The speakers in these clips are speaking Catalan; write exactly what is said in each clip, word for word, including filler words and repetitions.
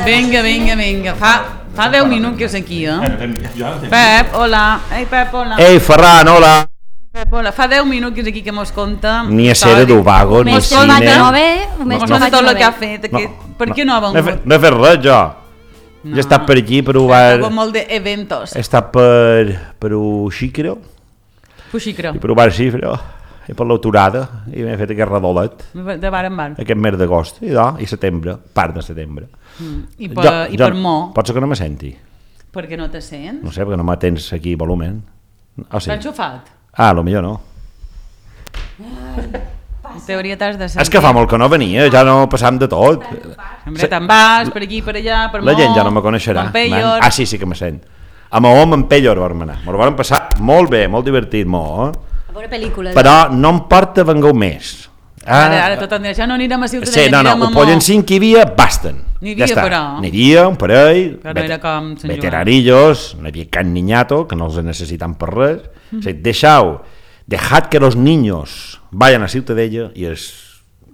Vinga, vinga, vinga. Fa, fa deu minuts que és aquí, eh? Pep, hola. Ei, Pep, hola. Ei, Ferran, hola. Pep, hola. Fa deu minuts que és aquí que mos conta... Ni a ser d'Ubago, ni a cine. Mos conta tot el que ha fet. Per què no ha vengut? No he fet res, jo. Jo he estat per aquí, per Ubar... He molt d'eventos. He estat per... per Uxicro. Uxicro. I per Ubar Xifro. I per l'autorada. I m'he fet aquest redolet. De bar en bar. Aquest mes d'agost. I no, i setembre. Part de setembre. Mm. I per, jo, i per jo, Mo? Pot ser que no me senti. Per què no te sents? No sé, perquè no m'atens aquí volumen. Oh, sí. T'ha enxufat? Ah, potser no. En teoria t'has de sentir. És que fa molt que no venia, ja no passam de tot. Hombre, te'n vas per aquí, per allà, per Mo... La gent ja no me coneixerà. Ah, sí, sí que me sent. A Mahó amb Pellor vam anar. M'ho vam passar molt bé, molt divertit, Mahó. A veure pel·lícules. Però no em porta vengueu més. Ah, ara, ara tot en ja no anirem a Ciutadella, sí, no, no, anirem a Mo. Ho pollen cinc que hi havia, basten. N'hi havia, ja però. N'hi havia, un parell, però no era com Sant Joan. Veterarillos, no hi havia can niñato, que no els necessitan per res. Mm. O sigui, deixau, dejad que los niños vayan a Ciutadella i els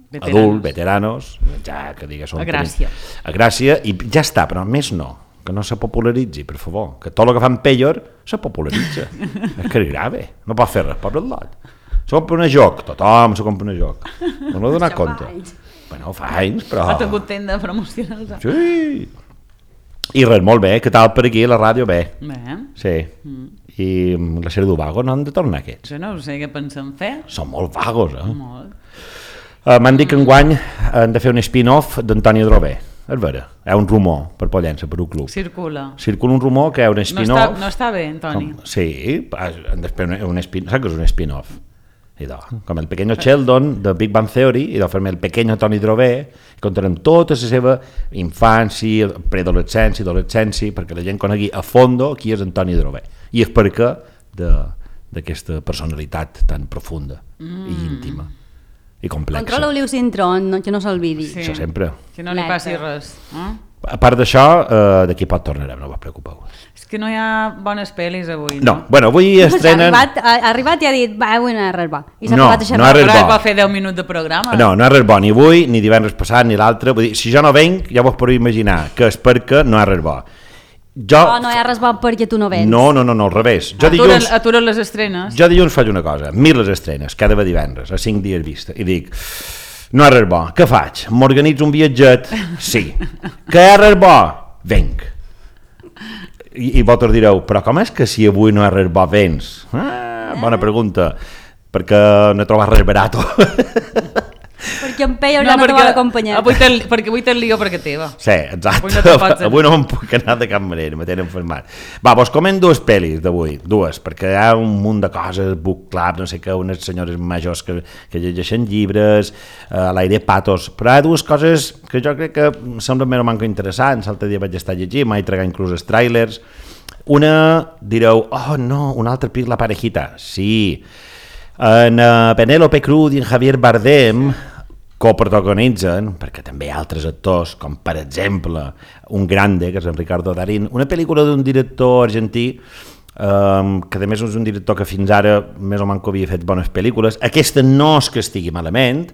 veteranos. Adults, veteranos, ja que digues... A Gràcia. A Gràcia, i ja està, però més no. Que no se popularitzi, per favor. Que tot el que fan Pellor se popularitza. És que és grave. No pot fer res, pobre lot. Se compra un joc, tothom se compra un joc. No m'ho he donat compte. Bueno, fa anys, però... Ha tingut tenda promocional. Sí. I res, molt bé. Què tal per aquí, la ràdio? Bé. Bé. Sí. Mm. I la sèrie d'Ubago no han de tornar aquests. Jo no sé què pensem fer. Són molt vagos, eh? Molt. Uh, M'han dit que enguany han de fer un spin-off d'Antoni Drové. És vera, hi ha un rumor per Pollença, per un club. Circula. Circula un rumor que hi ha un spin-off... No està, no està bé, Antoni. Com, sí, després un spin, saps que és un spin-off? Idò, com el Pequeño Sheldon de Big Bang Theory, i fer-me el Pequeño Toni Drové, i contarem tota la seva infància, preadolescència, adolescència, perquè la gent conegui a fondo qui és Antoni Drové. I és perquè d'aquesta personalitat tan profunda mm. i íntima. I complexa. Controla Oliu Sintron, no, que no s'olvidi. Sí. Això sempre. Que no li passi res. Eh? A part d'això, eh, d'aquí pot tornarem, no us preocupeu. És que no hi ha bones pel·lis avui, no? No, bueno, avui estrenen... Ha arribat, ha arribat i ha dit, va, avui no hi ha res bo. I s'ha no, acabat això. No hi ha res bo. Però va fer deu minuts de programa. No, no hi ha res bo, ni avui, ni divendres passat, ni l'altre. Vull dir, si jo no venc, ja vos podeu imaginar que és perquè no hi ha res bo. Jo... Oh, no hi ha res bo perquè tu no vens. No, no, no, no al revés. Jo aturen, dilluns... aturen les estrenes. Jo dilluns faig una cosa, mil les estrenes, cada divendres, a cinc dies vista, i dic... No hi ha res bo, què faig? M'organitzo un viatget? Sí. Que hi ha res bo? Venc. I, i vosaltres direu, però com és que si avui no hi ha res bo vens? Ah, bona pregunta, perquè no he trobat res barato. Perquè en Peyo ja no te vol acompanyar. Avui perquè avui te'n lío perquè teva. Sí, exacte. Avui no, avui no me'n puc anar de cap manera, me tenen enfermat. Va, vos comen dues pel·lis d'avui, dues, perquè hi ha un munt de coses, book club, no sé què, unes senyores majors que, que llegeixen llibres, a uh, l'aire patos, però hi ha dues coses que jo crec que em semblen més o manco interessants, l'altre dia vaig estar llegint, m'he tragat inclús els trailers. Una, direu, oh no, una altra pel·lícula parejita. Sí, en uh, Penélope Cruz i en Javier Bardem coprotagonitzen, perquè també hi ha altres actors, com per exemple un grande, que és en Ricardo Darín, una pel·lícula d'un director argentí, um, que a més és un director que fins ara més o menys havia fet bones pel·lícules. Aquesta no és que estigui malament,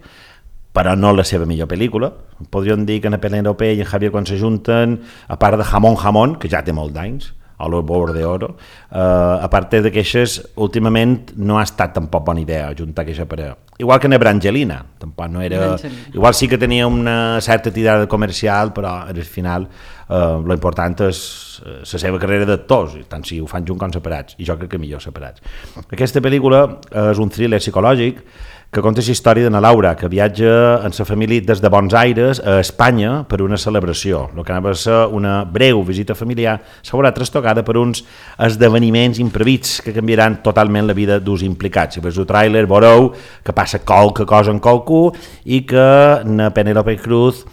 però no la seva millor pel·lícula. Podríem dir que en Penélope i en Javier quan s'ajunten, a part de Jamón Jamón, que ja té molt d'anys, a lo Bord de Oro, uh, a part de queixes, últimament no ha estat tampoc bona idea juntar queixa parella. Igual que en Brangelina, tampoc no era... Igual sí que tenia una certa tirada comercial, però al final uh, lo important és uh, la seva carrera d'actors, tant si ho fan junt com separats, i jo crec que millor separats. Aquesta pel·lícula és un thriller psicològic que conta la història d'una Laura que viatja amb sa família des de Buenos Aires a Espanya per una celebració. El que anava a ser una breu visita familiar s'haurà trastocada per uns esdeveniments imprevits que canviaran totalment la vida dels implicats. Si veus el tràiler veureu que passa qualque cosa en qualcú i que na Penélope Cruz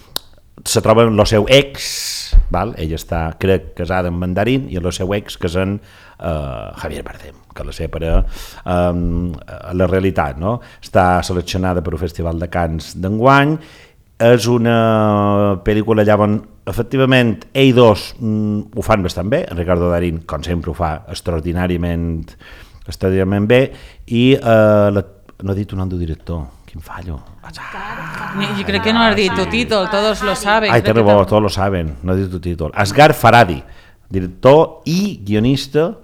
se troba amb el seu ex, val? Ella està, crec, casada amb Mandarín i el seu ex que és en uh, Javier Bardem, que la separa um, a la realitat, no? Està seleccionada per un festival de Cannes d'enguany, és una pel·lícula allà on efectivament ells dos mm, ho fan bastant bé, en Ricardo Darín com sempre ho fa extraordinàriament extraordinàriament bé i uh, la, no he dit un nom del director, quin fallo. Yo creo que no has dicho tu título, todos lo saben. Ai, té raó, todos lo saben, no he dit tu títol. Asghar Farhadi, director i guionista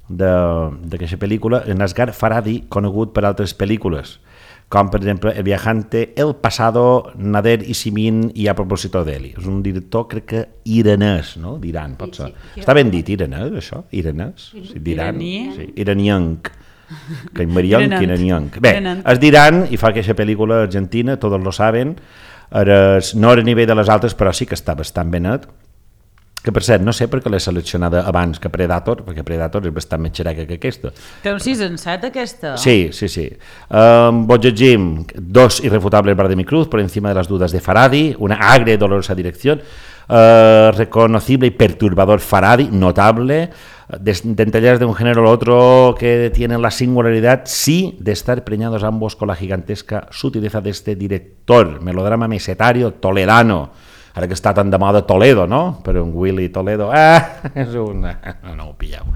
d'aquesta pel·lícula. En Asghar Farhadi, conegut per altres pel·lícules, com per exemple El viajante, El pasado, Nader y Simin i A propósito de Eli. És un director, crec que iranès, no? D'Iran, pot ser. Està ben dit, iranès, això? Iranès? Sí, d'Iran? Sí, iranianc. Que Marianc, iranianc. Bé, és d'Iran i fa aquesta pel·lícula argentina, tots lo saben. No era a nivell de les altres, però sí que està bastant ben net. Que per cert, no sé per què l'he seleccionada abans que Predator, perquè Predator és bastant més xereca que aquesta. Té un sis en set aquesta? Sí, sí, sí. Um, vos llegim Dos irrefutables Bardem y Cruz, por encima de las dudas de Farhadi, una agria y dolorosa dirección, uh, reconocible y perturbador Farhadi, notable, dentellas de un género al otro que tienen la singularidad, sí, de estar preñados ambos con la gigantesca sutileza de este director, melodrama mesetario toledano. Ara que està tan de moda Toledo, no? Per un Willy Toledo. Ah, és una... No, no ho pilleu.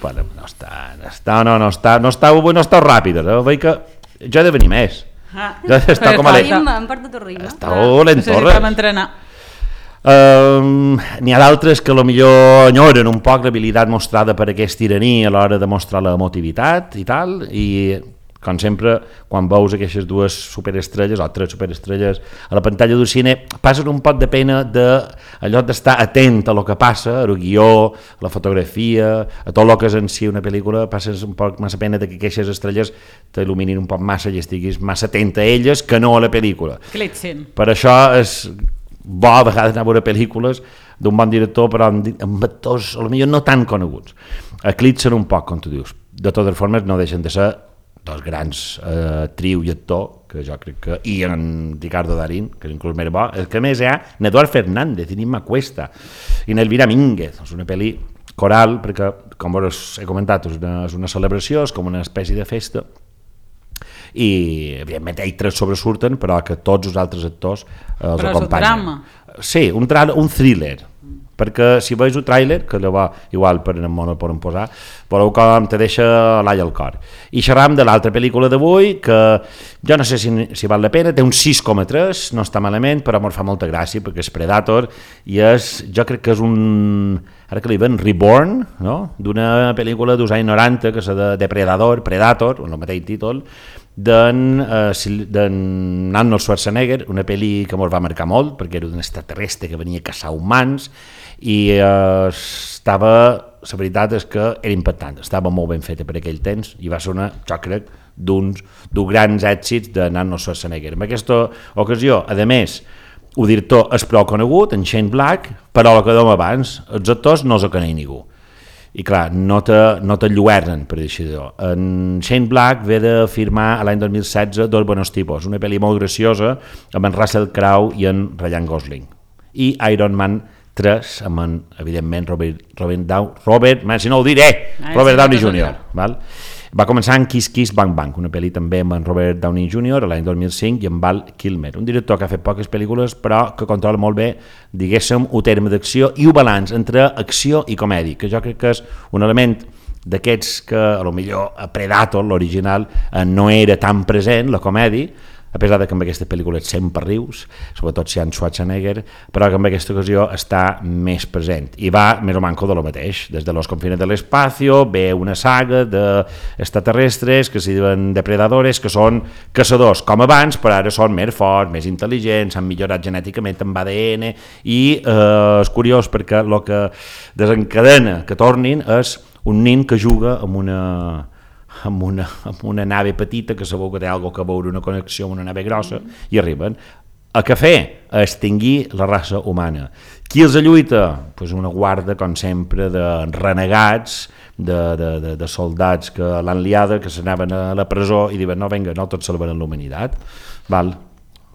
Bueno, no està... No està, no, no està, no està, no està ràpid. No? Veig que jo he de venir més. Ah, jo està com a l'he... Em porta tu ritme. Està lent, Torres. Necessitem entrenar. Um, N'hi ha d'altres que potser enyoren un poc l'habilitat mostrada per aquest iraní a l'hora de mostrar l'emotivitat i tal, i... com sempre, quan veus aquestes dues superestrelles o tres superestrelles a la pantalla d'un cine, passes un pot de pena d'allò d'estar atent a lo que passa, al guió, a la fotografia, a tot el que és en si una pel·lícula, passes un poc massa pena de que aquestes estrelles t'il·luminin un poc massa i estiguis massa atent a elles que no a la pel·lícula. Clitzen. Per això és bo a vegades anar a veure pel·lícules d'un bon director, però amb actors potser no tan coneguts. Eclipsen un poc, com tu dius. De totes formes, no deixen de ser dos grans eh, triu i actor, que jo crec que... I en Ricardo Darín, que és inclús més bo. El que més hi ha, Eduard Fernández, i Nima Cuesta, i Elvira Mínguez. És una pel·li coral, perquè, com us he comentat, és una, és una celebració, és com una espècie de festa, i evidentment ells tres sobresurten, però que tots els altres actors eh, els però acompanyen. Però és un drama. Sí, un, tra- un thriller, perquè si veus un tràiler, que llavors igual per no el poden posar, veureu com te deixa l'all al cor. I xerram de l'altra pel·lícula d'avui, que jo no sé si, si val la pena, té un sis coma tres, no està malament, però em fa molta gràcia, perquè és Predator, i és, jo crec que és un, ara que li ven, Reborn, no? D'una pel·lícula dels anys noranta, que és de Depredador, Predator, el mateix títol, d'en uh, Arnold Schwarzenegger, una pel·li que ens va marcar molt, perquè era un extraterrestre que venia a caçar humans, i uh, estava, la veritat és que era impactant, estava molt ben feta per aquell temps, i va ser una, jo crec, d'uns dels grans èxits d'en Arnold Schwarzenegger. En aquesta ocasió, a més, el director és prou conegut, en Shane Black, però el que dèiem abans, els actors no els coneix ningú. I clar, no te, no te lluernen, per dir-ho. En Shane Black ve de firmar l'any dos mil setze Dos Buenos Tipos, una pel·li molt graciosa amb en Russell Crowe i en Ryan Gosling. I Iron Man tres, amb en, evidentment, Robert, Robert Downey, Robert, man, si no ho diré, ah, Robert Downey júnior Val? Va començar en Kiss Kiss Bang Bang, una pel·li també amb en Robert Downey júnior l'any dos mil cinc i amb Val Kilmer, un director que ha fet poques pel·lícules però que controla molt bé, diguéssim, el terme d'acció i el balanç entre acció i comèdia, que jo crec que és un element d'aquests que a lo millor a Predator, l'original, no era tan present, la comèdia, a pesar de que amb aquesta pel·lícula sempre rius, sobretot si hi ha Schwarzenegger, però que en aquesta ocasió està més present. I va més o manco de lo mateix. Des de Los Confines de l'Espacio ve una saga d'extraterrestres que s'hi diuen depredadores, que són caçadors, com abans, però ara són més forts, més intel·ligents, han millorat genèticament amb A D N, i eh, és curiós perquè el que desencadena que tornin és un nen que juga amb una... Amb una, amb una nave petita que sabeu que té alguna que veure, una connexió amb una nave grossa, i arriben a què fer? A extingir la raça humana. Qui els lluita? Pues una guarda, com sempre, de renegats, de, de, de, de soldats que l'han liada, que s'anaven a la presó i diuen no, vinga, no tots salvaran la humanitat. Val.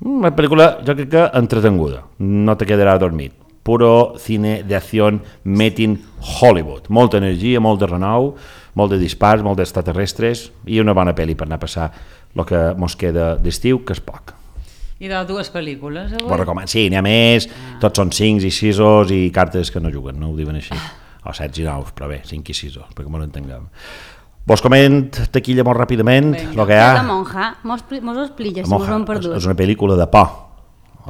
Una pel·lícula, jo crec que entretenguda, no te quedarà dormit. Puro cine d'acció made in Hollywood. Molta energia, molt de renou, molt de dispars, molt d'extraterrestres i una bona pel·li per anar a passar el que mos queda d'estiu, que és poc. I de dues pel·lícules avui? Ho recomano. Sí, n'hi ha més, ah. Tots són cinc i sisos i cartes que no juguen, no ho diuen així. O set i nou, però bé, cinc i sisos, perquè m'ho entenguem. Vos coment taquilla molt ràpidament, el que hi ha... La monja, mos ho expliques, si mos ho hem perdut. És una pel·lícula de por,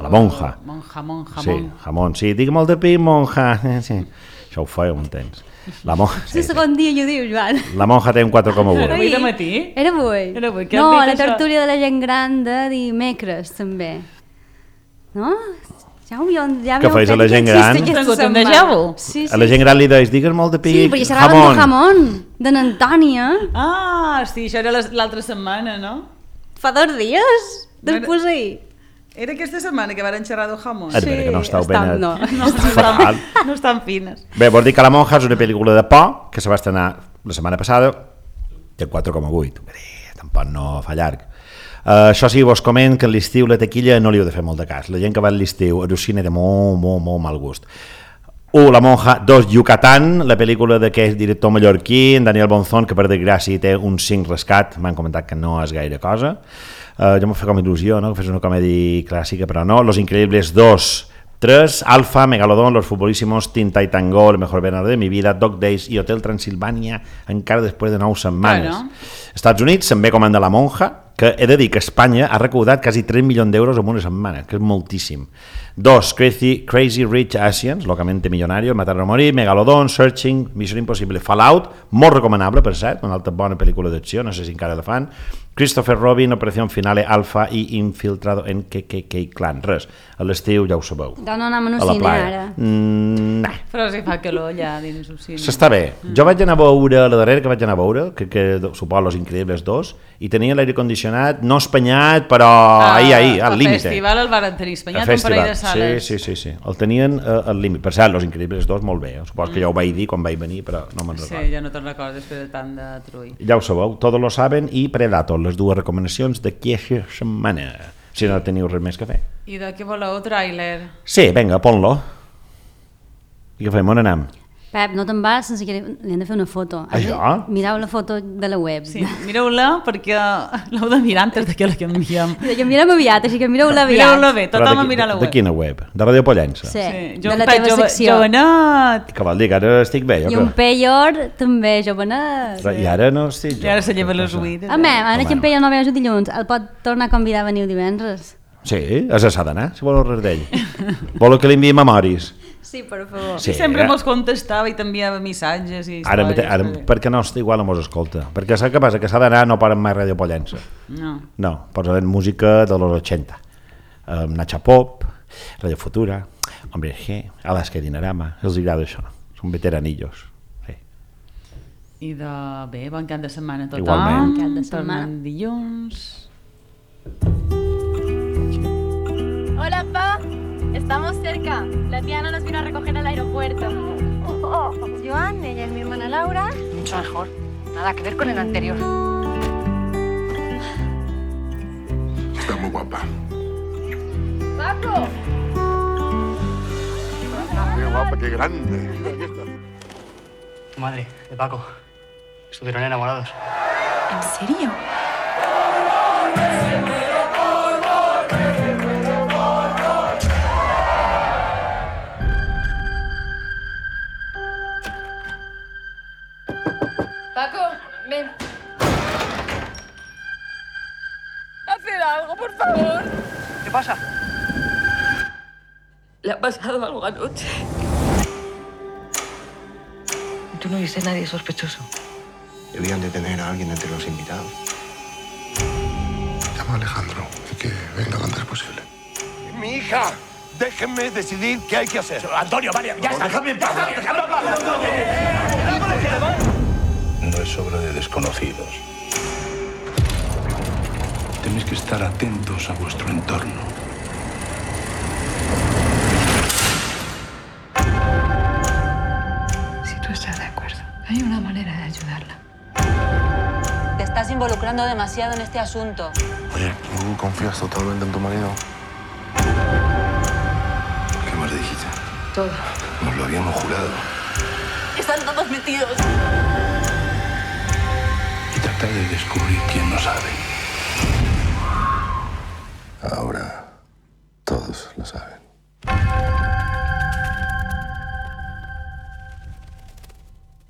la monja. Monja, monja, sí, jamón. Sí, digue molt de pi, monja. Sí. Això ho feia, m'entens. La monja... Sí, segon dia jo diu, Joan. La monja té un quatre coma u. Era avui de matí? Era avui. Era avui. No, la tertúlia de la gent gran de dimecres, també. No? Ja ho havia, ja que fes a la gent gran. Sí, sí. A la gent gran li deies, digues molt de pi, sí, perquè xerraven de jamón, de n'Antònia. Ah, sí, això era l'altra setmana, no? Fa dos dies, després ahir. Era aquesta setmana que van xerrar de jamón. Sí, que no estàu ben... No, no, estan, no estan fines. Bé, vols dir que La monja és una pel·lícula de por que se va estrenar la setmana passada, té quatre coma vuit. Tampoc no fa llarg. Uh, això sí, vos coment que a l'estiu la taquilla no li heu de fer molt de cas. La gent que va a l'estiu al cine té molt, molt, molt mal gust. Un, La monja. Dos, Yucatán, la pel·lícula d'aquest director mallorquí, en Daniel Bonzón, que per desgràcia té un cinc rescat, m'han comentat que no és gaire cosa. Uh, jo m'ho fa com il·lusió, no? Que fes una comèdia clàssica, però no. Los Increíbles dos, tres, Alfa, Megalodón, Los Futbolísimos, Tinta y Tango, El mejor verano de mi vida, Dog Days i Hotel Transilvània, encara després de nou setmanes. Bueno. Estats Units se'n ve com en de La monja, que he de dir que Espanya ha recaudat quasi tres milions d'euros en una setmana, que és moltíssim. Dos, Crazy, Crazy Rich Asians, locamente millonario, Matar o morir, Megalodon, Searching, Mission Impossible, Fallout, molt recomanable, per cert, una altra bona pel·lícula d'acció, no sé si encara la fan, Christopher Robin, Operación Finale, Alpha i Infiltrado en K K K Clan. Res, a l'estiu ja ho sabeu. Doncs no anem a un cine ara. Mm, nah. Però si fa calor allà dins un cine. S'està bé. Mm. Jo vaig anar a veure, la darrera que vaig anar a veure, que, que suposo Los Increíbles dos, i tenia l'aire condicionat, no espanyat, però ah, ahir, ahir, al límit. El festival el van tenir espanyat un parell de sales. Sí, sí, sí, sí. El tenien uh, al límit. Per cert, Los Increíbles dos molt bé. Suposo que ja ho vaig dir quan vaig venir, però no me'n recordo. Sí, ja no te'n recordes després de tant de trull. Ja ho sabeu, Todos lo saben i Predator, les dues recomanacions d'aquesta setmana. Si no teniu res més que fer. I de què voleu, tràiler? Sí, vinga, pon-lo. I què fem, on anem? Pep, no te'n vas sense que li hem de fer una foto. Això? Mireu la foto de la web. Sí, mireu-la perquè l'heu de mirar antes de que la canviem. I que mirem aviat, així que mireu-la aviat. Mireu-la bé, tothom a mirar la web. De quina web? De Radio Pollença? Sí, sí. Jo, de la teva jove, secció. Jovenet! Que vol dir que ara estic bé, jo? I un Peyor també, jovenet. Sí. I ara no estic jo. I ara se lleva les uïdes. Home, ara que en Peyor no veu dilluns, el pot tornar a convidar a venir divendres. Sí, és a s'ha d'anar, si voleu res d'ell. Voleu que li enviï memoris? Sí, per favor. Sí, sempre mos contestava i t'enviava missatges i històries. Ara, ara perquè no està igual, mos escolta. Perquè saps què passa? Que s'ha d'anar, no poden mai Radio Pollença. No. No, posen música de los ochenta. Um, Nacha Pop, Radio Futura, Hombre G, Alaska Dinarama, els agrada això. Són veteranillos. Sí. I de... bé, bon cap de setmana a tothom. Igualment. Bon cap de setmana. Tornem dilluns. Hola, pa. Estamos cerca. La tía Ana nos vino a recoger al aeropuerto. Oh, oh, Joan, ella es mi hermana Laura. Mucho mejor. Nada que ver con el anterior. Está muy guapa. ¡Paco! Qué guapa, qué grande. Tu madre, de Paco. Estuvieron enamorados. ¿En serio? Paco, ven. Haced algo, por favor. ¿Qué pasa? Le ha pasado algo anoche. ¿Tú no viste a nadie sospechoso? Debían de tener a alguien entre los invitados. Llama a Alejandro y que venga lo antes posible. Mi hija, déjenme decidir qué hay que hacer. Antonio, vale, ya está. Déjame en paz. Déjame en paz. No es obra de desconocidos. Tenéis que estar atentos a vuestro entorno. Si tú estás de acuerdo, hay una manera de ayudarla. Te estás involucrando demasiado en este asunto. Oye, ¿tú confías totalmente en tu marido? ¿Qué más dijiste? Todo. Nos lo habíamos jurado. Están todos metidos. Y tratar de descubrir quién no sabe. Ahora todos lo saben.